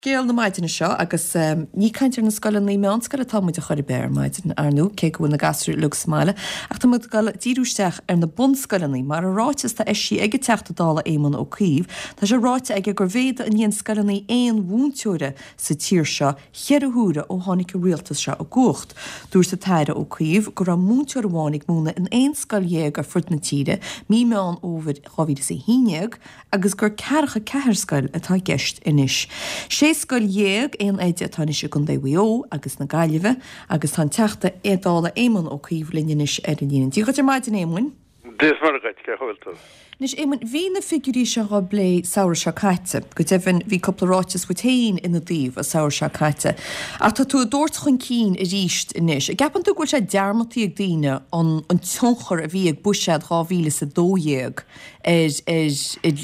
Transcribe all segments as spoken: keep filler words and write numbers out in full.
Scéal na maidine seo agus ní caint ar na scoileanna meánscoile atá muid a chur ar maidin ar ndóigh cé go bhfuil na gasúir uilig sa mbaile ach tá muid ag dul díriú isteach ar na bunscoileanna mar a ráiteas atá eisithe ag an Teachta Dála Éamon Ó Cuív tá sé ráite aige gur mhéadaigh an líon scoileanna aon mhúinteora sa tír seo cheithre huaire ó tháinig an rialtas seo i gcumhacht. Dúirt an tAire Ó Cuív go raibh múinteoir amháin ag múineadh in aon scoil dhéag ar fud na tíre mí Meán Fhómhair dhá mhíle is a haon déag agus gur ceathracha ceathair scoil atá i gceist anois. Sé scoil dhéag aon oide atá anois i gContae Mhaigh Eo agus na Gaillimhe agus tá an Teachta Dála Éamon Ó Cuív linn anois ar an líne. Dia dhuit ar maidin Éamoin. Dia is Muire dhuit, cén chaoi a bhfuil tú? Anois Éamoin, bhí na figiúirí seo á bplé samhradh seo caite. Go deimhin bhí cúpla ráiteas uait féin ina dtaobh an samhradh seo caite. Ach tá tú á dtabhairt chun cinn arís anois. An gceapann tú go bhfuil sé dearmadta ag daoine an an tionchar a bhí ag buiséad dhá mhíle is a dó dhéag ar ar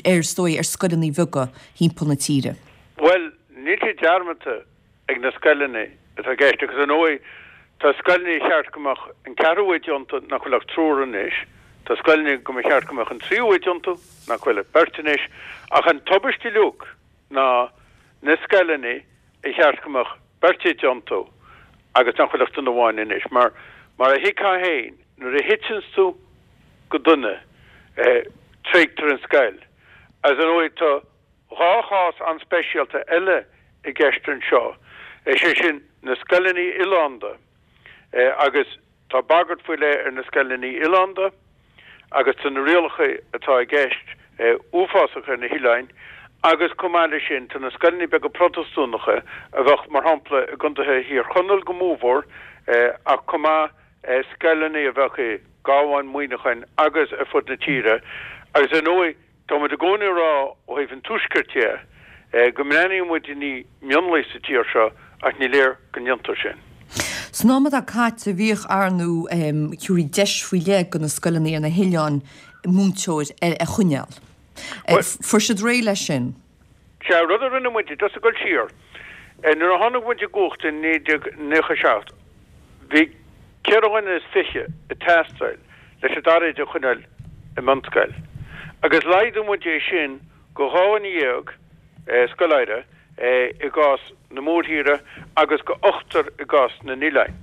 ar is dóigh ar scoileanna beaga thimpeall na tíre? Bhuel, níl sé dearmadta ag na scoileanna atá i gceist agus ar ndóigh tá scoileanna ar cheart go mbeadh an ceathrú oide iontu nach bhfuil ach triúr anois, tá scoileanna go mba cheart go mbeadh an tríú oide iontu nach bhfuil ach beirt anois ach an tubaiste uilig ná na scoileanna ar cheart go mbeadh beirt oide iontu agus nach bhfuil ach duine amháin anois mar mar a thuigfeá féin nuair a thiteanns tú go duine tréigtear an scoil agus ar ndóigh tá dhá chás an-speisialta eile i gceist anseo, is é sin na scoileanna oileánda agus tá bagairt faoi leith ar na scoileanna oileánda agus tá na rialacha atá i gceist uafásach ar na hoileáin agus chomh maith leis sin tá na scoileanna beaga Protastúnacha a bheadh mar shampla i gcontaetha Thír Chonaill go mórmhór ach chomh maith scoileanna a bheadh i gCabhán, Muineachán agus ar fud na tíre agus ar ndóigh Tá muid i gcónaí ag rá ó thaobh an Tuaiscirt de go mbreathnaíonn muid i ndiaidh mionlaigh sa tír seo ach ní léir go ndéantar sin. San am atá caite bhíodh ar ndóigh thabharfaí deis faoi leith do na scoileanna ar na hoileáin múinteoir a choinneáil. Fuair siad réidh leis sin. Sea, rud a rinne muid, just ag dul siar, nuair a tháinig muid i gcumhacht in naoi déag nócha a seacht, bhí ceithre dhuine is fiche ag teastáil leis an dara oide a choinneáil i mbunscoil agus laghdaigh muid é sin go dhá dhuine dhéag, scoláire, i gcás na mórthíre agus go ochtar i gcás na n-oileáin.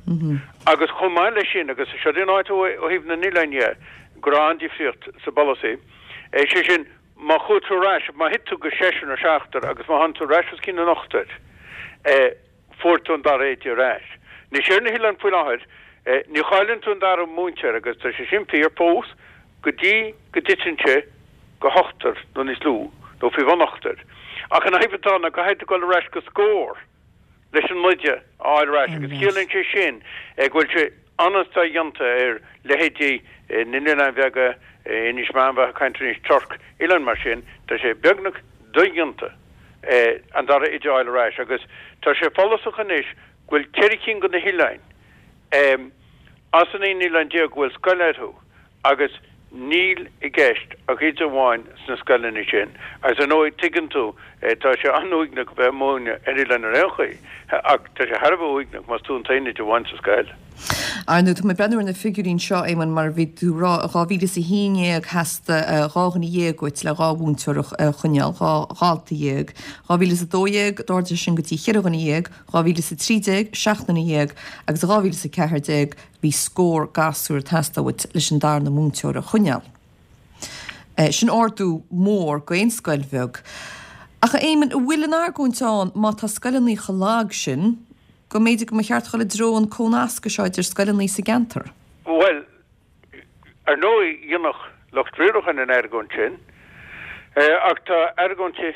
Agus chomh maith leis sin, agus seo an áit ó thaobh na n-oileán dhe, go raibh an-difríocht sa bpolasaí, sé sin, má chuaigh tú ar ais, má thit tú go seisear nó seachtar agus má tháinig tú ar ais os cionn an ochtair, fuair tú an dara oide ar ais. Anois ar na hoileáin faoi láthair, ní chailleann tú an dara múinteoir agus tá sé sin fíor fós go dtí go dtiteann sé go hochtar nó níos lú, nó faoi bhun ochtair. Ach an fhadhb atá ná caithfidh tú dul ar ais go scór leis an oide a fháil ar ais agus ciallaíonn sé sin go bhfuil sé an-dodhéanta ar leithéidí na n-oileán bheaga, Inis Meáin, bheifeá ag caint ar Inis Toirc, oileáin mar sin, tá sé beagnach dodhéanta an dara oide a fháil ar ais agus tá sé follasach anois go bhfuil ceithre cinn de na hoileáin as an aon oileán déag go bhfuil scoil orthu agus níl i gceist ach oide amháin sna scoileanna sin agus ar ndóigh tuigeann tú tá sé an-uaigneach a bheith ag múineadh ar oileán ar aon chaoi ach tá sé thar a bheith uaigneach más tú an t-aon oide amháin sa scoil. Ar ndóigh, tá mé ag breathnú ar na figiúirí anseo, Éamonn, mar a bhí tú ag rá, i dhá mhíle is a haon déag theastaigh dhá dhuine dhéag uait le dhá mhúinteoir a choinneáil, dhá dhalta dhéag. Dhá mhíle is a dó dhéag, d'ardaigh sé sin go dtí cheithre dhuine dhéag, dhá mhíle is a trí déag, seacht nduine dhéag, agus i dhá mhíle is a ceathair déag bhí scór gasúr ag teastáil uait leis an darna múinteoir a choinneáil. Sin ardú mór d'aon scoil bheag. Ach a Éamoinn, an bhfuil an argóint ann má tá scoileanna chomh lag sin, go mb'fhéidir go mba cheart dul i dtreo an cónascadh seo idir scoileanna sa gceantar? Bhuel, ar ndóigh, dhéanfadh lucht riaracháin an argóint sin, ach tá argóintí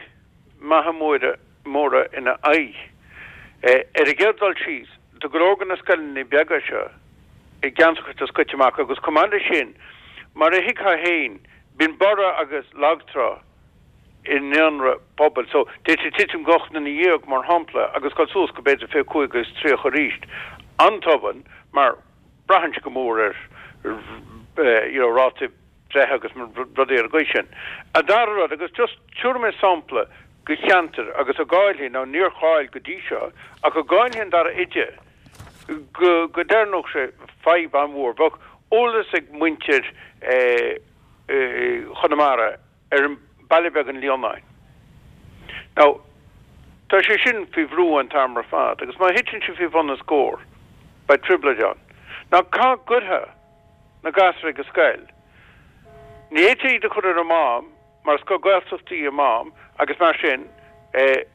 maithe móra móra ina aghaidh. Ar an gcéad dul síos, tá go leor de na scoileanna beaga seo i gceantracha atá scoite amach agus chomh maith leis sin, mar a thuigfeá féin, bíonn borradh agus lagtrá i ndaonra pobail. So, d'fhéadfaí titim go ocht nduine dhéag, mar shampla, agus dul suas go b'fhéidir fiche cúig agus tríocha arís an-tobann mar braitheann sé go mór ar you know rátaí breithe agus rudaí ar an gcaoi sin. An dara rud, agus just tabharfaidh mé sampla de cheantar agus dá gcaillfí, now níor chaill go dtí seo, ach dá gcaillfí an dara oide, go go dtarlódh sé fadhb an-mhór. Bheadh eolas ag muintir Chonamara ar an baile beag an Líonáin. Now, Tá sé sin faoi bhrú an t-am ar fad, agus má thiteann sé faoi bhun an scór, beidh trioblóid ann. Now cá gcuirfeá na gasúir ag an scoil? Ní fhéadfá iad a chur ar an Mám mar is scoil Gaeltachta í an Mám agus mar sin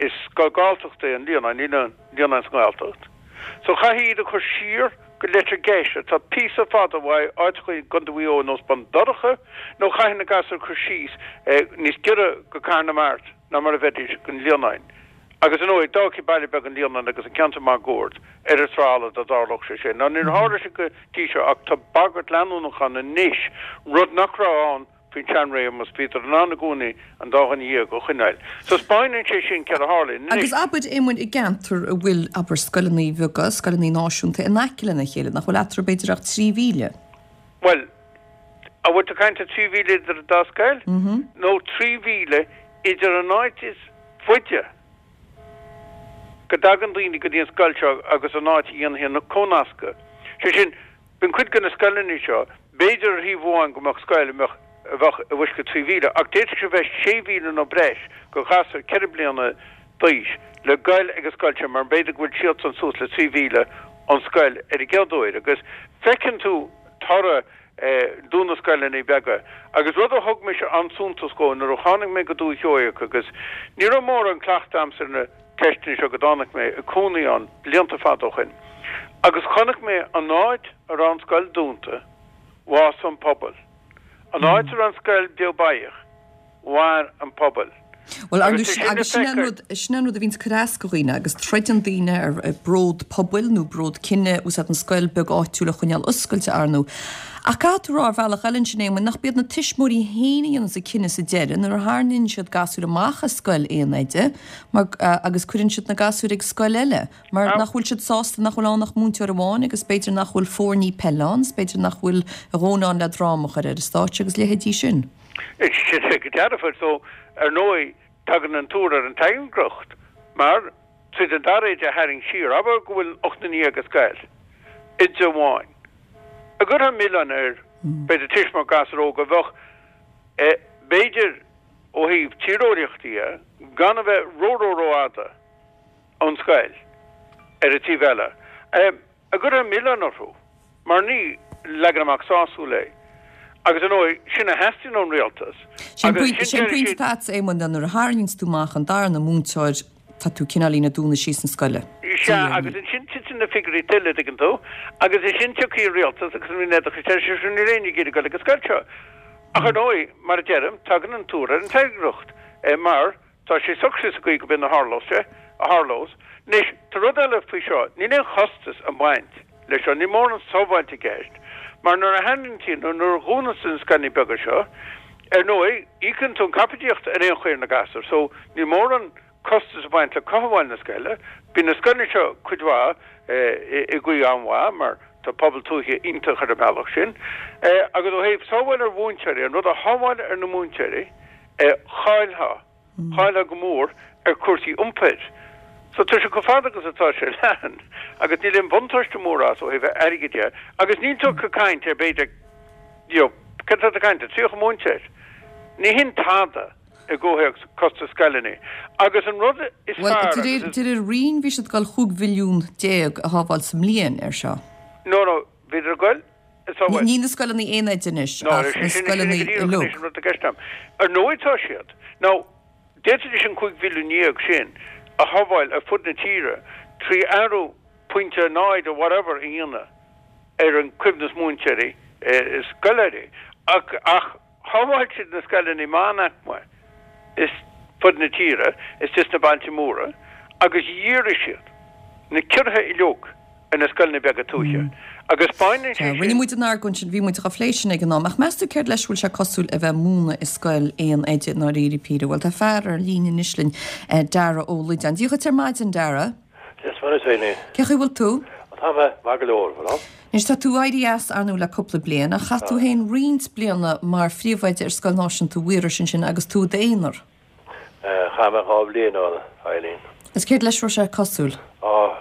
is scoil Galltachta é an Líonán, níl an Líonán sa nGaeltacht. So chaithfí iad a chur siar go Leitir Geis atá píosa fada uaidh, áiteacha i gContae Mhaigh Eo ar nós Bun Dobhráin nó chaithfí na gasúir a chur síos níos giorra go Cathair na Mart ná mar a bheidís gon Líonán. Agus ar ndóigh, d'fhágfaí baile beag an Líonáin agus an ceantar máguaird ar an trá dá dtarlódh sé sin. Now níor tharla sé go dtí seo ach tá bagairt leanúnach ann anois, rud nach raibh ann faoin tseanréimeas, bhíodar in ann i gcónaí an dá dhuine dhéag a choinneáil. So 'spáineann sé sin céard a tharlaíonn. Anois. Agus abair, Éamoinn, i gceantar a bhfuil, abair, scoileanna beaga, scoileanna náisiúnta in aice lena chéile, nach bhfuil eatarthu b'fhéidir ach trí mhíle? Bhuel, an bhfuil tú ag caint ar trí mhíle idir an dá scoil? Nó trí mhíle idir an áit is faide go dtagann daoine go dtí an scoil seo agus an áit a dhéanfaí an comhnascadh. Sé sin, bíonn cuid de na scoileanna seo, b'fhéidir ar thaobh amháin go mbeadh scoil a mbeadh, a bheadh i bhfoisceacht trí mhíle, ach d'fhéadfadh sé bheith sé mhíle nó breis go ghasúr ceithre bliana d'aois le goil ag an scoil sin mar b'fhéidir go bhfuil siadsan suas le trí mhíle ón scoil ar an gcéad uair agus feiceann tú toradh dúnadh scoileanna beaga. Agus rud a thug mise an-suntas dhó nuair a tháinig mé go Dúiche Sheoigheach agus ní raibh mórán cleachta a'msa ar na ceisteanna seo go dtáinig mé ag cónaí ann blianta fada ó shoin agus chonaic mé an áit a raibh an scoil dúnta, bhásaigh an pobal. An áit a raibh an scoil beo báidheach, mhair an pobal. Bhuel, ar ndóigh, agus sin é an rud, sin é an rud a bhíonns ag cur as go dhaoine, agus troideann daoine ar bród pobail nó bród cine, úsáid an scoil beag áitiúil a choinneáil oscailte, ar ndóigh. Ach caithfidh tú a rá ar bhealach eile ansin, Éamoinn, nach b'iad na tuismitheoirí féin a dhéananns an cinneadh sa deireadh nuair a tharraingíonn siad gasúir amach as scoil aon oide mar, agus cuireann siad na gasúir ag scoil eile mar nach bhfuil siad sásta nach bhfuil ann ach múinteoir amháin agus b'fhéidir nach bhfuil foirní peile ann is b'fhéidir nach bhfuil a dhóthain ann le dráma a chur ar an stáitse agus leithéidí sin. Sin é go dearfa. So, ar ndóigh, tagann an tuar ar an tairngreacht, mar tríd an dara oide a tharraingt siar, abair go bhfuil ocht nduine dhéag ag scoil, oide amháin, an gcuirfeá milleán ar, b'fhéidir, tuismitheoir gasúr óg a bheadh, b'fhéidir, ó thaobh tíreolaíochta dhe, gan a bheith ró-ró-rófhada ón scoil ar an taobh eile. An gcuirfeá milleán orthu, mar ní leagan amach sásúil é. Agus ar ndóigh, sin a theastaíonn ón rialtas. Sé an pointe atá agat, Éamoinn, ná nuair a tharraingíonns tú amach an darna múinteoir, tá tú cineáilín ag dúnadh síos na scoile. Sea, agus ansin titeann na figiúirí tuilleadh, tuigeann tú, agus ansin tiocfaidh an rialtas agus an Roinn Oideachais, deir siad, níl éinne ag iarraidh dul ag an scoil seo. Ach ar ndóigh, mar a deirim, tagann an tuar ar an tairngreacht, mar Tá sé socraithe sa gcaoi go b'in a tharlós sé, a tharlós. Anois, tá rud eile faoi seo, níl aon chostas ag baint leis seo, níl mórán sábháilte i gceist, mar nuair a tharraingíonn tú, nó nuair a dhúnann tú na scoileanna beaga seo, ar ndóigh, íocann tú an caipitíocht ar aon chaoi ar na gasúir, so níl mórán costas ag baint le cothabháil na scoile. Bíonn na scoileanna seo cuid mhaith i gcaoi an-mhaith, mar tá pobal tuaithe iontach ar an mbealach sin. Agus ó thaobh sábháil ar mhúinteoirí, an rud a shábháil ar na múinteoirí, Chaillfeá, chaillfeá go mór ar chúrsaí iompair. So tá sé chomh fada agus atá sé leathan agus níl aon bhuntáiste mór as ó thaobh airgid dhe agus níl tú ag caint ar b'fhéidir you know cad tá tú ag caint ar tríocha múinteoir? Ní hin tada i gcomhthéacs costas scoileanna agus an rud is Bhuel, fearr de agus réir, is. de réir Roinn bhí siad ag dul chúig mhilliún déag a shábháil sa mbliain ar seo. No, no, bhíodar ag goil Ní ní na scoileanna aon oide anois No, ach sin na sin sin scoileanna go díreach anois uilig. an rud atá i gceist agam. Ar ndóigh tá siad. Now, d'fhéadfaidís an cúig mhilliún dhéag sin a shábháil ar fud na tíre trí athrú pointe a náid or whatever a dhéanamh ar an coibhneas múinteoirí is scoláirí. Ach ach shábháil siad na scoileanna meánaicme ar fud na tíre istigh sna bailte móra agus dhírigh siad na ciorruithe uilig ar na scoileanna beaga tuaithe agus baineann sé Rinne sin. muid an argóint sin, bhí muid dhá phlé sin ag an am, ach meas tú céard leis a bhfuil sé cosúil a bheith ag múineadh i scoil aon oide i ndáiríre píre? Bhuel, tá fear ar líne anois linn, Dara Ó Loideáin. Dia dhuit ar maidin, Dara. Dia is Muire duit, a Eileen. Cén chaoi a bhfuil tú? Tá mé maith go leor, bhuel. Anois, tá tú éirithe as, ar ndóigh, le cúpla bliain, ach chaith tú féin roinnt bliana mar phríomhoide ar Scoil Náisiúnta Mhaorais ansin agus tú i d'aonar. Chaith mé dhá bhliain ann, a Eileen. Is céard leis a raibh sé cosúil? Á,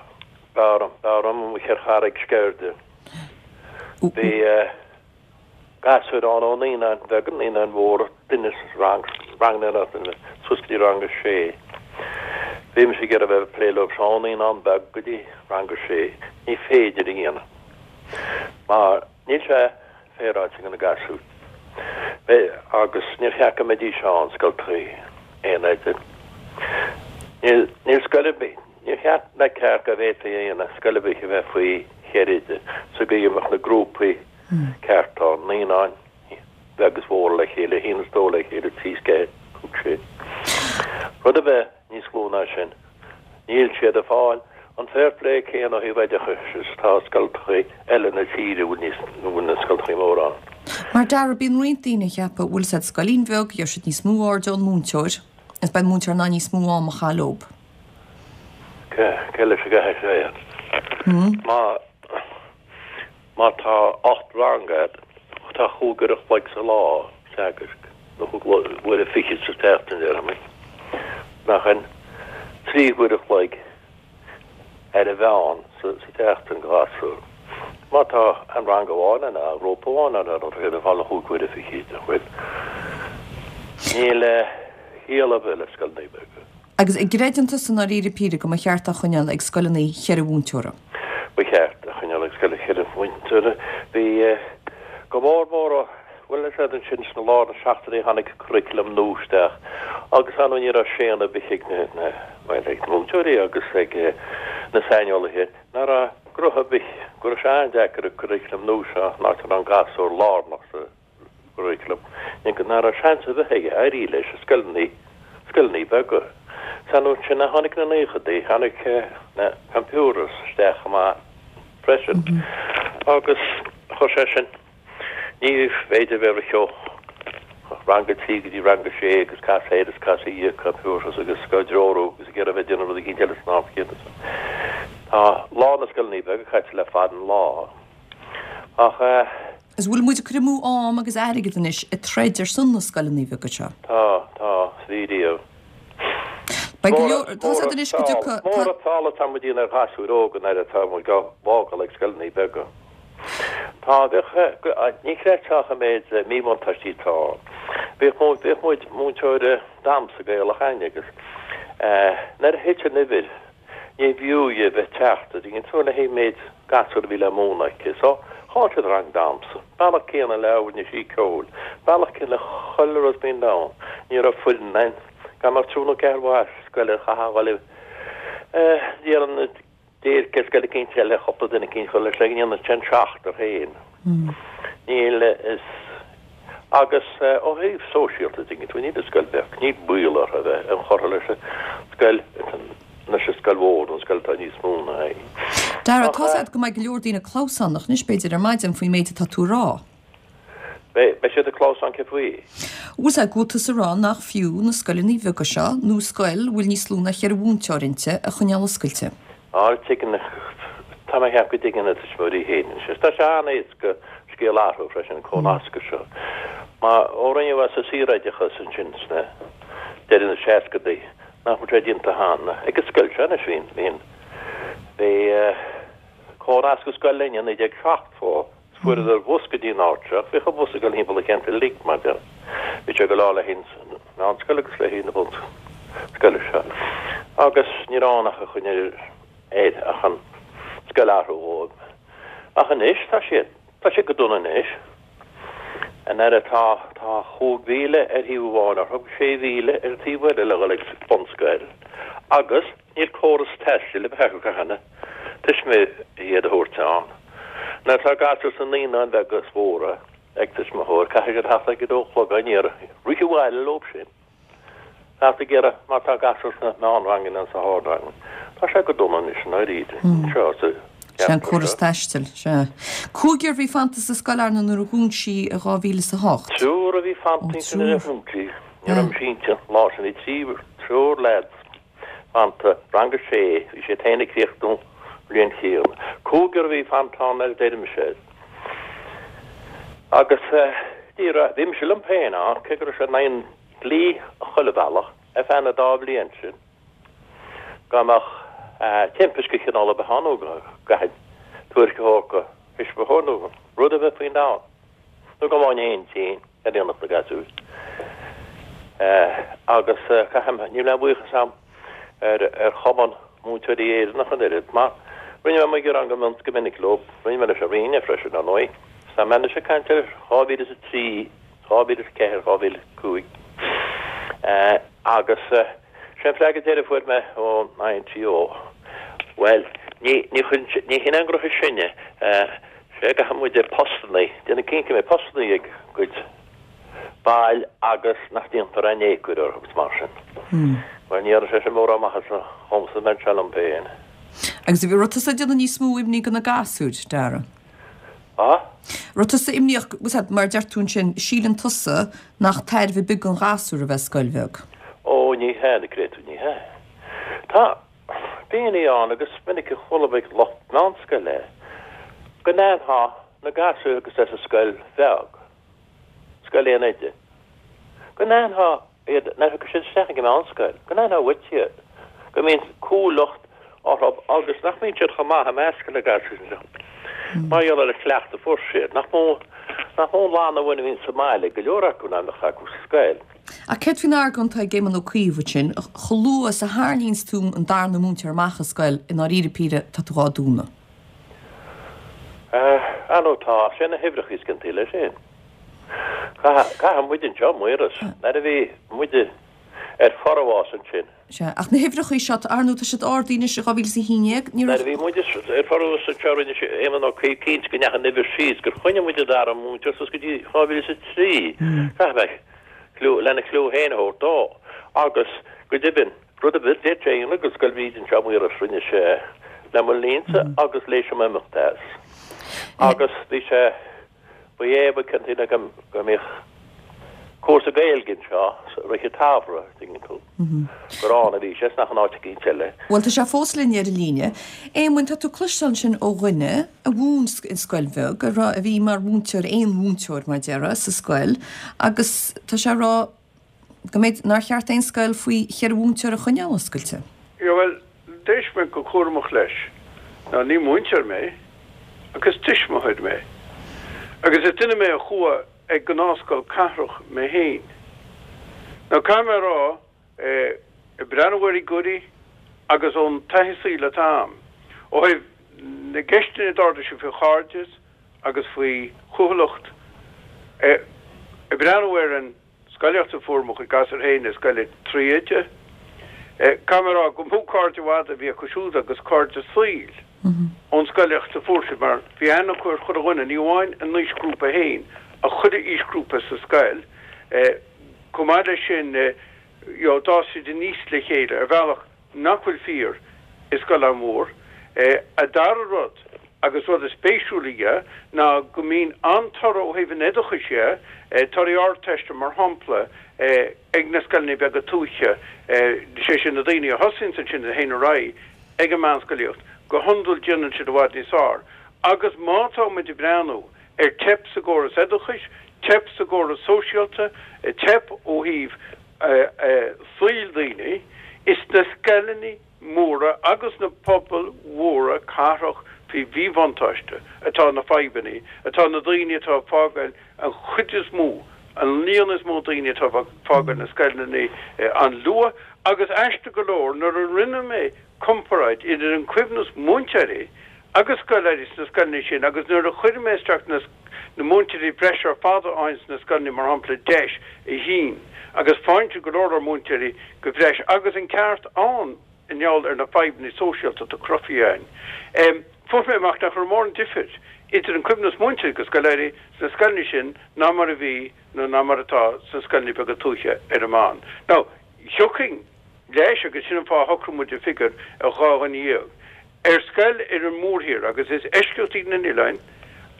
b'fhearr liom, b'fhearr liom amuigh ar charraig Sceirde. Bhí gasúir ann ó naíonáin bheaga, naíonáin mhóra, duine sa rang, rang na, suas go dtí rang a sé. Bhí mise ag iarraidh a bheith ag plé leo seo ó naíonán beag go dtí rang a sé, ní féidir a dhéanamh mar níl sé féaráilte do na gasúir. Agus níor cheart go mbeidís ann scoltachaí aon oide. Níl níl scoil ar bith, níor cheart ná ceart go bhféadfaí a dhéanamh scoil ar bith a bheith faoi cheithre oide sa gcaoi a mbeadh na grúpaí ceart ann, naíonáin bheag is mhór le chéile, a haon is dó le chéile, trí is ceathair, cúig sé. Rud a bheith níos lú ná sin, níl siad ag fáil an fair play céanna ó thaobh oideachais is atá scoltachaí eile na tíre a bhfuil níos, a bhfuil na scoltachaí móra ann. Mar Dara, bíonn roinnt daoine ag ceapadh, bhfuil 's a'd scoilín bheag, gheobhaidh siad níos mó airde ón múinteoir, is beidh an múinteoir in ann níos mó am a chaitheamh leob. Cé, cé leis a gcaithfidh sé é? Má, má tá ocht rang agat, tá chúig uair a chloig sa lá teagaisc, nó chúig uaire fichead sa tseachtain, déarfaidh mé. Nach in trí huaire a chloig ar a mheán sa tseachtain do ghasúr. Má tá aon rang amháin ann, aon ghrúpa amháin ann, tá siad ag fáil na chúig huaire fichead, nach bhfuil? Níl ciall ar bith le scoileanna beaga. Agus an gcreideann tusa i ndáiríre píre go mba cheart a choinneáil ag scoileanna cheithre mhúinteora? Ba cheart a choinneáil ag scoileanna cheithre mhúinteora. Bhí go mór mór ó, bhuel is ea ansin sna lár na seachtóidí tháinig curriculum nua isteach agus ar ndóigh ní raibh séanadh ar bith ag na, na, bhuel ag na múinteoirí agus ag na saineolaithe nach raibh gruth ar bith, go raibh sé an-deacair an curriculum nua seo an áit a raibh an gasúr lárnach sa gcurriculum, nach raibh seans ar bith aige éirí leis i scoileanna, scoileanna beaga. San ansin a tháinig na naochadaí, tháinig na computers isteach chomh maith freisin agus chuir sé sin, ní féidir bheith ag rith ó rang a trí go dtí rang a sé agus cas air is cas air computers agus á dtreorú agus ag iarraidh bheith ag déanamh rud eicínt eile san am chéanna. Tá lá na scoileanna beaga caite le fada an lá ach eh. Is bhfuil muid ag cur amú am agus airgead anois ag troid ar son na scoileanna beaga seo? Tá, tá, is bhí riamh. Beidh go leor, tá siad anois go dtiocfaidh, Mór an tsáil atá muid a dhéanamh ar ghasúir óga nuair atá muid á bhfágáil ag scoileanna beaga. Tá, bheadh, ní chreidfeá an méid míbhuntáistí atá ann. Bhíodh muid, bhíodh muid, múinteoir damhsa Gaelach againn agus nuair a thit an uimhir ní b'fhiú dhi a bheith ag teacht, an dtuigeann tú, le haghaidh méid gasúr a bhí le múineadh aici. So, chaill siad rang damhsa. Bealach céanna le rinne sí ceoil. Bealach céanna le chuile rud faoin domhan. Ní raibh foireann ann. Gan ach triúr nó ceathrar mhaith scoile chaithfeá a dhul i ndiaidh déirce scoil eicínt eile cúpla duine eicínt a chur leis le go ndéanfadh sé an seachtar féin. Níl is agus ó thaobh sóisialta an dtuigeann tú, níl an scoil bheag, níl baol orthu a bheith inchurtha leis an scoil leis an scoil mhór nó an scoil atá níos mó ná í. Dara, tá 's a'd go mbeidh go leor daoine clamhsánach anois b'fhéidir ar maidin faoin méid atá tú a rá. Beidh, beidh siad ag clamhsán cé faoi? Bhfuil 's a'd go bhfuil tusa ag rá nach fiú na scoileanna beaga seo nó scoil a bhfuil níos lú ná cheithre mhúinteoir inti a choinneáil oscailte. Á, tuigeann, tá mé ag ceapadh go dtuigeann na tuismitheoirí féin anois. Tá sé an-éasca scéal a athrú freisin, an comhnascadh seo. Mar ó rinneadh as an saoroideachas ansin sna deireadh na seascadaí, nach bhfuil sé déanta cheana. Ag an scoil seo anois bhí, bhí, bhí comhnascadh scoil linn i naoi déag seachtó. Fuaireadar bus go dtí an áit seo. Bhíodh an bus ag dul thimpeall an cheantair uilig mar deir. Bhí sé ag dul le haghaidh an mheánscoil agus le haghaidh na bunscoile seo. Agus ní raibh ann ach a choinne air ach an scoil a athrú dhóibh. Ach anois tá siad, tá siad go dona anois. An aire tá, tá chúig mhíle ar thaobh amháin orthu agus sé mhíle ar an taobh eile le dhul ag bunscoil. Agus níl córas taistil ar bith acu cheana. Tuismitheoir iad a thabhairt ann. Nuair atá gasúr sna naíonáin bheaga is mhóra ag tuismitheoir, caithfidh siad theacht ag a dó a chlog á n-iarraidh rith abhaile leo sin. Theacht ag iarraidh má tá gasúr sna meánranganna nó sa hardrang. Tá sé go dona anois i ndáiríre. Anseo sa Sé an cheantar córas seo. taistil, sea. Cúigear a bhí fanta sa scoil Arna nuair a dhún sí i dhá mhíle is a hocht. Triúr a bhí Ó, fanta inti nuair a triúr. dhún sí. Ní raibh mise inti an lá sin. Bhí trí, triúr leaids. Fanta, rang a sé, bhí siad féin ag críochnú an bhliain chéanna. Cúigear a bhí fanta ann ar d'éirigh mise air. Agus ní raibh, bhí mise liom féin ann, cé go raibh sé in aghaidh an dlí chuile bhealach, ar feadh na dá bhliain sin, go mbeadh timpiste de chineál ar bith ann nó go gcaithfinn tuairisc a thabhairt do thuismitheoir nó rud ar bith faoin domhan, nó go mbeinn féin tinn ar aonach na gasúir. Agus caithim, níl aon bhuíochas agam ar ar Chumann Múinteoirí Éireannach an oiread mar rinne mé gearán go mion go minic leo, rinne mé leis an Roinn freisin ar ndóigh. Tá mé anois ag caint ar dhá mhíle is a trí, dhá mhíle is a ceathair, dhá mhíle is a cúig agus sé an freagra deiridh a fuair mé ón INTO, bhuel, ní ní ní hin an gcruth is sine, sé go caithfidh muid postanna, déanamh cinnte go mbeidh postanna ag cuid baill agus nach ndéantar aon éagóir orthu agus mar sin. Bhuel, ní dhearna sé sin mórán maitheasa dhomsa, mbeinn seo liom féin. Agus bhí raibh tusa ag déanamh níos mó imní do na gasúir, Dara? Ah? Raibh tusa imníoch, bhfuil mar deir tú ansin, síleann tusa nach tairbhe ar bith don ghasúr a bheith scoil bheag? Ó, ní hea, na créatúir, ní hea. Tá daoine ann agus is minic a chuala mé ag lucht meánscoile go n-aithneofá na gasúir agus é sa scoil bheag, scoil aon oide, go n-aithneofá iad nuair a thiocfaidh siad isteach ag an meánscoil, go n-aithneofá uait iad, go mbíonn cúthaileacht orthu agus nach mbíonn siad chomh maith i measc na gasúir seo mar gheall ar an chleachtadh a fuair siad. Nach mó, nach mó an lánamhain a bhíonn sa mbaile, go leor acu ná a bheadh acu sa scoil. Ach céard faoin argóint atá ag Éamon Ó Cuív ansin, chomh luath is a tharraingíonns tú an darna múinteoir amach as scoil, i ndáiríre píre, tá tú dhá dúnadh. Ar ndóigh tá, sé na huimhreacha is ciontaí leis sin. Caithfidh muid anseo, Muiris, nuair a bhí muide ar forfhás ansin. Sea, ach na huimhreacha seo, ar ndóigh, tá siad ardaithe anois i dhá mhíle is a haon déag, ní Nuair raibh. a bhí muide ar forfhás anseo rinne sé Éamon Ó Cuív cinnte go ndeachaigh an uimhir síos, gur choinnigh muid an dara múinteoir suas go dtí dhá mhíle is a trí. Caithfidh mé cliú, lena chliú féin a thabhairt dó. Agus, go deimhin, rud ar bith a d'fhéadfadh sé a dhéanamh do Scoil Bhríde anseo, Muiris, rinne sé le mo linnse agus tar éis dom imeacht as. Agus bhí sé, ba é ba ciontaí le go mbeadh cúrsa Gaeilge anseo i rith an tsamhraidh, tuigeann tú, gur ann a bhí sé, is nach in áit eicínt eile. Bhuel, tá sé fós linn ar an líne. Éamoin, tá tú cloisteáil ansin ó dhuine a mhúin i scoil bheag, a raibh, a bhí mar mhúinteoir, aon mhúinteoir mar déarfá, sa scoil, agus tá sé ag rá go mb'fhéidir nár cheart aon scoil faoi cheithre mhúinteoir a choinneáil oscailte. Yeah, bhuel, d'éist mé go cúramach leis. Now, ní múinteoir mé, ach is tuismitheoir mé. Agus is duine mé a chuaigh ag gnáthscoil cathrach mé féin. Now, caithfidh mé a rá, ag breathnú ar fhigiúirí agus ón taithí saoil atá a'm, ó thaobh na gceisteanna a d'ardaigh sé faoi chairdeas agus faoi chúthaileacht, ag breathnú ar an scolaíocht a fuair mo chuid gasúr féin i scoil trí oide. Caithfidh mé a rá gur mó cairde i bhfad a bhí acu siúd agus cairde saoil ón scolaíocht a fuair siad mar bhí aithne acu ar chuile dhuine, ní amháin a n-aoisghrúpa féin ach chuile aoisghrúpa sa scoil. Chomh maith leis sin, you know, d'fhás siad aníos le chéile ar bhealach nach bhfuil fíor i scoil an-mhór. A dara rud, agus rud is spéisiúla dhe, ná go mbíonn an-toradh ó thaobh an oideachais dhe, torthaí Ardteiste mar shampla, ag na scoileanna beaga tuaithe, sé sin na daoine a thosaíonns ansin a théann ar aghaidh ag an meánscolaíocht, go hiondúil déanann siad i bhfad níos fearr. Agus má tá muid ag breathnú ar teip sa gcóras oideachais, teip sa gcóras sóisialta, teip ó thaobh saoil daoine, is sna scoileanna móra agus na pobail mhóra cathrach faoi mhíbhuntáiste atá na fadhbanna, atá na daoine atá ag fágáil an chuid is mó, an líon is mó daoine atá ag fágáil na scoileanna an-luath. Agus aisteach go leor, nuair a rinne mé comparáid idir an coibhneas múinteoirí agus scoláirí sna scoileanna sin agus nuair a chuir mé isteach na na múinteoirí breise ar fad a fhaigheann sna scoileanna, mar shampla Deis a haon, agus faigheann siad go leor leor múinteoirí go bhreis agus an ceart ann i ngeall ar na fadhbanna sóisialta atá cruthaithe ann. Fuair mé amach nach raibh mórán difir idir an coibhneas múinteoirí agus scoláirí sna scoileanna sin ná mar a bhí nó ná mar atá sna scoileanna beaga tuaithe ar an meán. Now, thiocfainn leis, agus sin an fáth a shocraigh muid an figiúr ar dhá dhuine dhéag ar scoil ar an mórthír, agus is eisceacht iad na n-oileáin,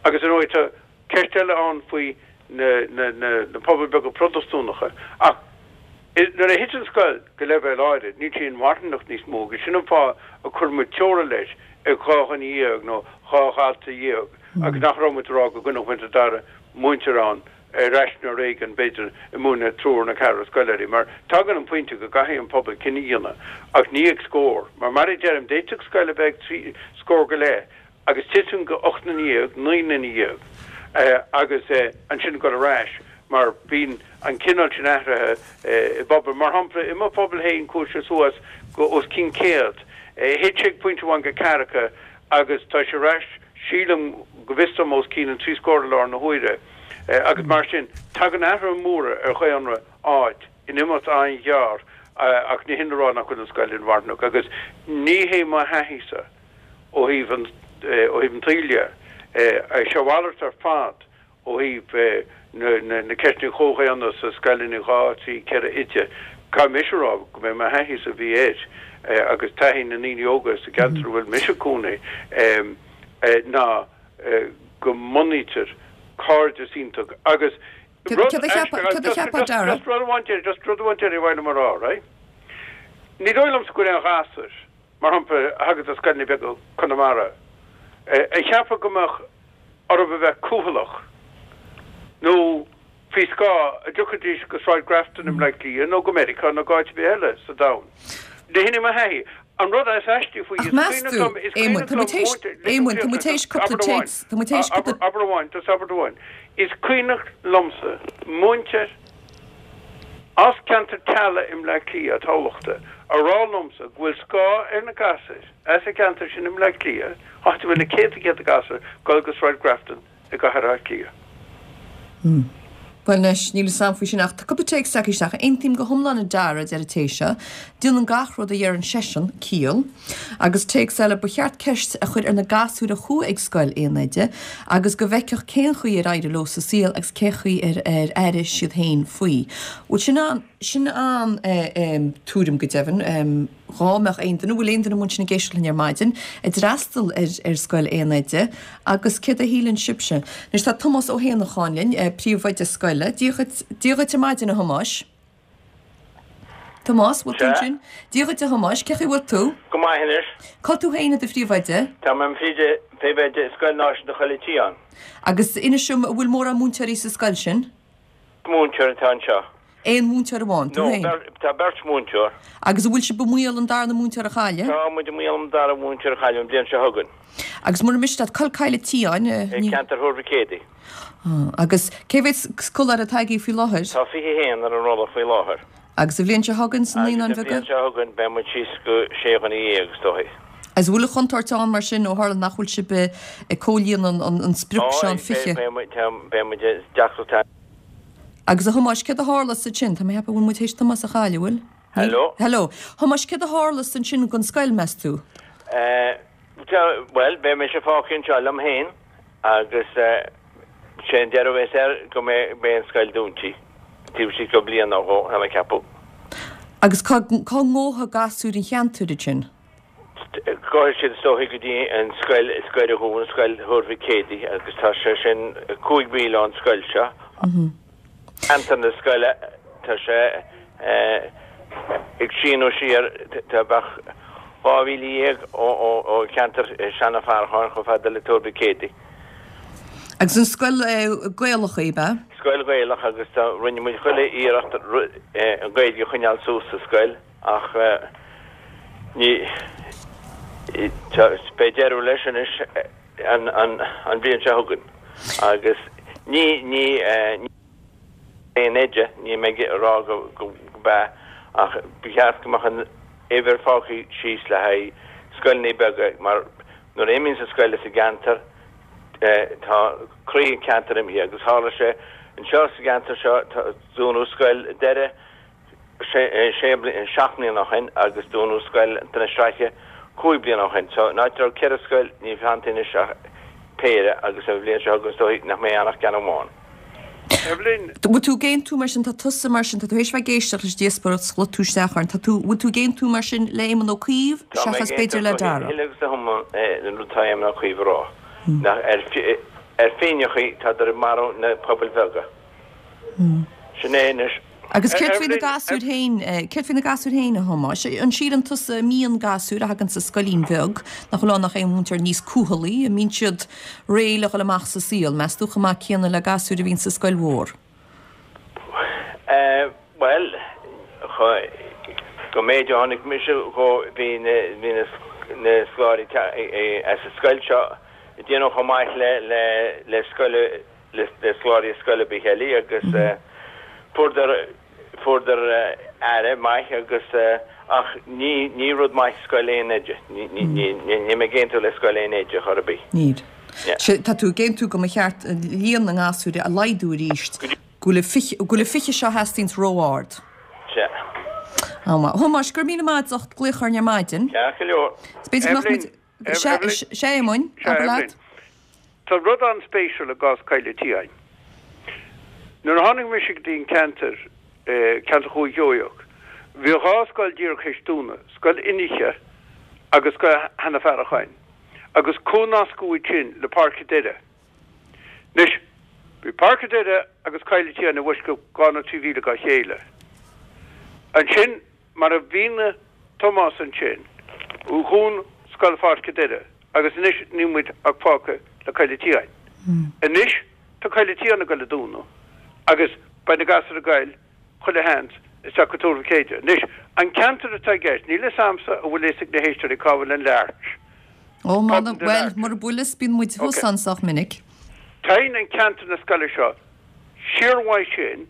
agus ar ndóigh tá ceist eile ann faoi na na na na pobail beaga Protastúnacha, ach nuair a thiteann scoil go leibhéal áirid, níl sí inmharthanacht níos mó, agus sin an fáth a chuir muid teora leis ag dhá dhuine dhéag nó dhá dhalta dhéag, agus nach raibh muid ag rá go gcoinneodh muid an dara múinteoir ann ar ais nuair éigin, b'fhéidir, ag múineadh triúr nó ceathrar scoláirí, mar tagann an pointe go gcaithfidh an pobal cinneadh a dhéanamh, ach ní ag scór, mar mar a deirim, d'fhéadfadh scoil a bheith ag trí scór go leith agus titim go ocht nduine dhéag, naoi nduine dhéag, agus ansin dul ar ais, mar bíonn an cineál sin athraithe i bpobail. Mar shampla, i mo phobal féin chuaigh sé suas go os cionn céad. Thit sé pointe amháin go ceathracha agus tá sé ar ais, sílim, go bhfios dom os cionn an trí scór i láthair na huaire. Agus mar sin, tagann athruithe móra ar dhaonra áit in imeacht an-ghearr ach ní hin le rá nach bhfuil an scoil inmharthanach. Agus ní hé mo thaithí-sa ó thaobh an ó thaobh an tsaoil dhe, sé a mhalairt ar fad ó thaobh na ceisteanna comhdhaonna sa scoileanna dhá, trí, ceithre oide. Caithfidh mise a rá go mbeidh mo thaithí-sa a bhí air agus taithí na ndaoine óga sa gceantar a bhfuil mise ag cónaí ná go mbunaítear cairdeas iontach agus rud just rud amháin deiridh, just rud amháin deiridh a bhain liom a rá, right? Ní dóigh liomsa go bhfuil aon ghasúr, mar shampla, a thagann as scoileanna beaga Chonamara, a cheapfadh go mbeadh orthu a bheith cúthaileach nó faoi scáth a dtiocfaidís go Sráid Grafton i mBleá Cliath nó go Meiriceá nó go áit ar bith eile sa domhan. Ní hin é mo thaithí. An rud is aistí faoi, is cuimhneach liom, is cuimhneach liom múinteoir, Éamoinn, tá muid théis cúpla téacs, tá muid théis cúpla. Abair amháin, just abairt amháin. Is cuimhneach liomsa múinteoir as ceantar Tallaght i mBleá Cliath, Thamhlachta, a rá liomsa go bhfuil scáth ar na gasúir as an gceantar sin i mBleá Cliath, áit a bhfuil na céadta céadta gasúr, dul go Sráid Grafton i gCathair Átha Cliath. Bhuel anois, níl fhios a'm faoi sin ach tá cúpla téacs tagtha isteach. Aontaím go hiomlán a Dara, a deir an té seo. Déanann gach rud a dheireann seisean ciall. Agus téacs eile, ba cheart ceist a chur ar na gasúir a chuaigh ag scoil aon oide agus go bhfeicfeadh cén chaoi ar éirigh leo sa saol agus cé chaoi ar ar airigh siad féin faoi. Bhuel sin an sin an tuairim go deimhin. Dhá mbeadh aon duine, bhfuil aon duine amuigh ansin ag éisteacht linn ar maidin, a d'fhreastail ar ar scoil aon oide agus céard a shíleann sibhse? Anois tá Tomás Ó hÉanacháin linn, príomhoide scoile. Dia dhuit, Dia dhuit ar maidin a Thomáis. Tomás, bhfuil tú ansin? Dia dhuit a Thomáis, cén chaoi a bhfuil tú? Go maith anois. Cá bhfuil tú féin i do phríomhoide? Tá mé im phríomhoide i Scoil Náisiúnta Choill an tSiáin. Agus inis dom, an bhfuil mórán múinteoirí sa scoil sin? Múinteoir atá anseo. Aon mhúinteoir amháin, tú No, féin? tá beirt mhúinteoir. Agus an bhfuil sibh i mbaol an darna múinteoir a chailleadh? Tá muid i mbaol an dara múinteoir a chailleadh an bhliain seo chugainn. Agus mura miste leat, cá bhfuil Coill an tSiáin? I gceantar Thuar Mhic Éadaigh. Ah, agus cé mhéad scoláire atá agaibh faoi láthair? Tá fiche a haon ar an rolla faoi láthair. Agus an bhliain seo chugainn sna Naíonáin Agus an Bheaga? bhliain seo chugainn beidh muid síos go sé dhuine dhéag, is dóigh. Agus an bhfuil an chontúirt ann mar sin ó tharla nach bhfuil sibh ag comhlíonadh an sprioc seo, an fiche? Beidh muid, beidh muid i deacracht ann. Agus a Thomáis, céard a tharlas ansin? Tá mé ag ceapadh go bhfuil muid théis Tomás a chailleadh, bhfuil? Hello? Hello. Thomáis, céard a tharlas ansin don scoil, meas tú? Eh, bhuel, beidh mise fágtha anseo liom féin agus sé an deireadh a bheas air go mbeidh an scoil dúnta taobh istigh de bhliain nó dhó, tá mé ag ceapadh. Agus cá ngabhfaidh gasúir an cheantair ansin? Gabhfaidh siad is dóichí go dtí an scoil is gaire dhúinn, Scoil Thuar Mhic Éadaigh, agus tá sé sin cúig mhíle ón scoil seo. Ceantar na scoile, tá sé ag síneadh siar, tá beadh dhá mhíle dhéag ó cheantar Seanadh Farracháin chomh fada le Tuar Mhic Éadaigh. Agus an scoil Gaelach í, ab ea? Scoil Ghaelach agus tá, rinne muid chuile iarracht an Ghaeilge a choinneáil suas sa scoil ach ní, beidh deireadh leis anois an bhliain seo chugainn agus ní, ní, ní aon oide, níl mé ag rá go b'ea ach ba cheart go mbeadh an uimhir fágtha síos le haghaidh scoileanna beaga mar nuair a imíonns an scoil as an gceantar tá croí an cheantair imithe agus tharla sé anseo sa gceantar seo dúnadh scoil Doire sé, seacht mbliana ó shin agus dúnadh scoil na Sraithe cúig bliana ó shin. So, in áit a raibh ceithre scoil, níl fanta anois ach péire agus an bhliain seo chugainn is dóigh nach mbeidh ann ach ceann amháin. Evelyn. Bhfuil tú ag aontú mar sin, tá tusa mar sin, tá tú théis bheith ag éisteacht leis an díospóireacht, 's chuaigh tú isteach orainn, tá tú, bhfuil tú ag aontú mar sin le Éamon Ó Cuív Tá mé ag seachas b'fhéidir aontú le go Dara? huile agus go hiomlán le rud atá Éamon Ó Cuív a rá, nach ar, ar phingineachaí tádar ag marú na pobail bheaga. Sin é anois. Agus céard faoi na gasúir féin, céard faoi na gasúir féin, a Thomáis? An síleann tusa an mbíonn gasúir a thagann as scoilín bheag, nach bhfuil ann ach aon mhúinteoir níos cúthalaí, an mbíonn siad réidh le dhul amach sa saol, meas tú, chomh maith céanna le gasúir a bhíonn sa scoil mhór? Bhuel, go méid a chonaic mise dhó, bhí na, bhí na, na scoláirí as an scoil seo ag déanamh chomh maith le, le, le scoil, le scoláirí scoile ar bith eile agus fuaireadar fuaireadar aire maith agus Ach ní ní rud maith scoil aon oide. Ní ní ní ní mé ag aontú le scoil aon oide chor ar bith. Níl. Tá tú ag aontú go mba cheart líon na ngasúr a laghdú arís, go bhfuil fiche go bhfuil fiche seo a theastaíonns ró-ard. Sea. Á, Thomáis, go raibh míle maith agat as ucht glaoch orainn ar maidin. Ceart go leor. Is b'fhéidir go mbeadh muid Sea, sea, Éamoinn, abair leat. Tá rud an-spéisiúil i gcás Coill an tSiáin. Nuair a tháinig mise go dtí an ceantar, ceantar Dhúiche Sheoigheach, bhí dhá scoil díreach théis dúnadh, Scoil Fhionnaithe agus Scoil Sheanadh Faracháin, agus comhnascadh iad sin le Páirc an Doire. Anois, bhí Páirc an Doire agus Coill an tSiáin i bhfoisceacht dhá nó trí mhíle dá chéile. Ansin, mar a mhínigh Tomás ansin, dhún Scoil Pháirc an Doire agus anois níl muid ach fágtha le Coill an tSiáin. Anois tá Coill an tSiáin ag goil a dúnadh agus beidh na gasúir ag goil, chuile sheans, isteach go Tuar Mhic Éide. Anois, an ceantar atá i gceist, níl fhios a'msa an bhfuil fhios ag na héisteoirí cá bhfuil an Lurch. Ó, muna, bhuel, mura bhfuil fhios, bíonn muid thuas ann sách minic. Téann an ceantar na scoile seo siar uaidh sin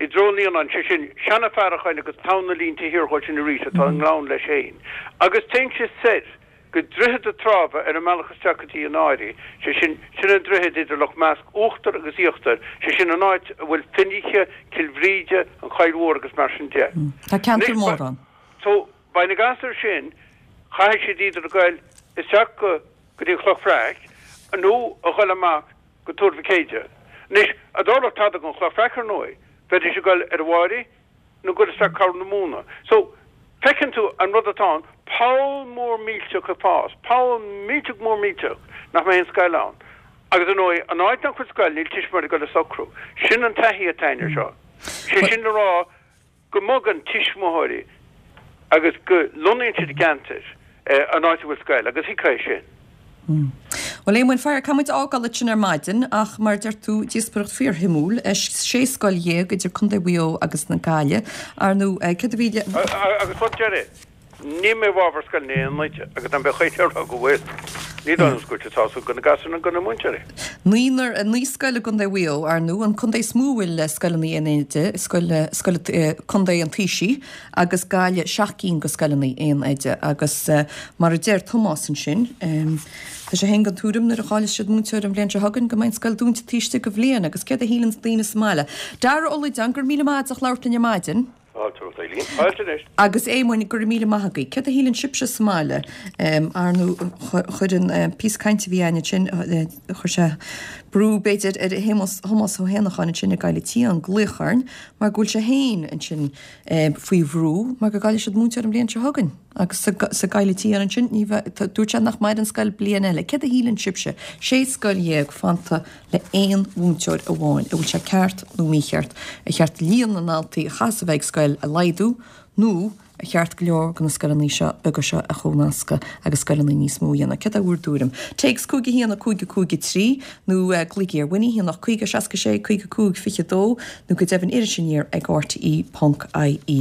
i dtreo an Líonáin, sé sin, Seanadh Faracháin agus Tonn na Línte thiar dhó sin arís atá i ngleann leis féin, agus téann sé soir go Droichead a' Trábha ar an mbealach isteach go dtí an Áirí, sé sin, sin an droichead idir Loch Measc Uachtar agus Íochtar, sé sin an áit a bhfuil Fionnaithe, Cill Bhríde, an Choill Mhór agus mar sin de. Tá ceantar mór ann. So, beidh na gasúir sin, caithfidh siad either a ghoil isteach go go dtí an Chloch Bhreac nó a ghoil amach go Tuar Mhic Éide. Anois, a dtarlódh tada don Chloch Bhreac ar ndóigh, bheidís ag goil ar an Mháirí nó goil isteach Corr na Móna. So, feiceann tú an rud atá ann, poll mór millteach ag fás, poll millteach mór millteach nach mbeidh aon scoil ann. Agus ar ndóigh, an áit nach bhfuil scoil, níl tuismitheoirí ag goil ag socrú. Sin an taithí atá againn air seo. Sé sin le rá go mbogann tuismitheoirí agus go lonnaíonn siad i gceantair an áit a bhfuil scoil, agus thuigfeá é sin. Bhuel, Éamoinn, faraor, caithfidh muid fhágáil ansin ar maidin, ach mar a deir tú, díospóireacht fíorshuimiúil, sé scoil dhéag idir Contae Mhaigh Eo agus na Gaillimhe. Ar ndóigh, céard a bhí le. Agus rud deiridh, níl mé i bhfabhar scoileanna aon oide, agus dá mbeadh éinne ag rá go bhfuil, ní dóigh liom go bhfuil sé sásúil do na gasúir ná do na múinteoirí. Naonúr, naoi scoil i gContae Mhaigh Eo, ar ndóigh, an contae is mó a bhfuil scoileanna aon oide, scoil, scoil, Contae an Taoisigh, agus Gaillimh seacht gcinn de scoileanna aon oide agus mar a deir Tomás ansin, tá sé féin den tuairim nuair a chaillfidh siad múinteoir an bhliain seo chugainn go mbeidh an scoil dúnta taobh istigh de bhliain agus céard a shíleanns daoine sa mbaile? Dara Ó Loideáin, go raibh míle maith agat as ucht labhairt linn ar maidin. Fáilte romhat, Eileen. Fáilte anois. Agus Éamoinn, go raibh míle maith agaibh. Céard a shíleann sibhse sa mbaile? Ar ndóigh, chuir an píosa cainte a bhí againn ansin, chuir sé brú, b'fhéidir, ar Thomás Ó hÉanacháin ansin i gCoill an tSiáin glaoch orainn mar go bhfuil sé féin ansin faoi bhrú mar go gcaillfidh siad múinteoir an bhliain seo chugainn agus sa gCoill an tSiáin ansin, ní bheidh, dúirt sé nach mbeidh ar an scoil bliain eile. Céard a shíleann sibhse? Sé scoil dhéag fanta le aon mhúinteoir amháin. An bhfuil sé ceart nó mícheart? Ar cheart líon na ndaltaí a chaithfeas a bheith ag scoil a laghdú nó ar cheart go leor de na scoileanna seo beaga seo a chomhnascadh agus scoileanna níos mó a dhéanamh? Céard é bhur dtuairim? Téacs cúig a haon a cúig a cúig a trí nó glaoigí ar Winnie, a haon ocht caoga seasca sé caoga cúig fiche dó nó go deimhin Iris Aniar ag rte ponc ie.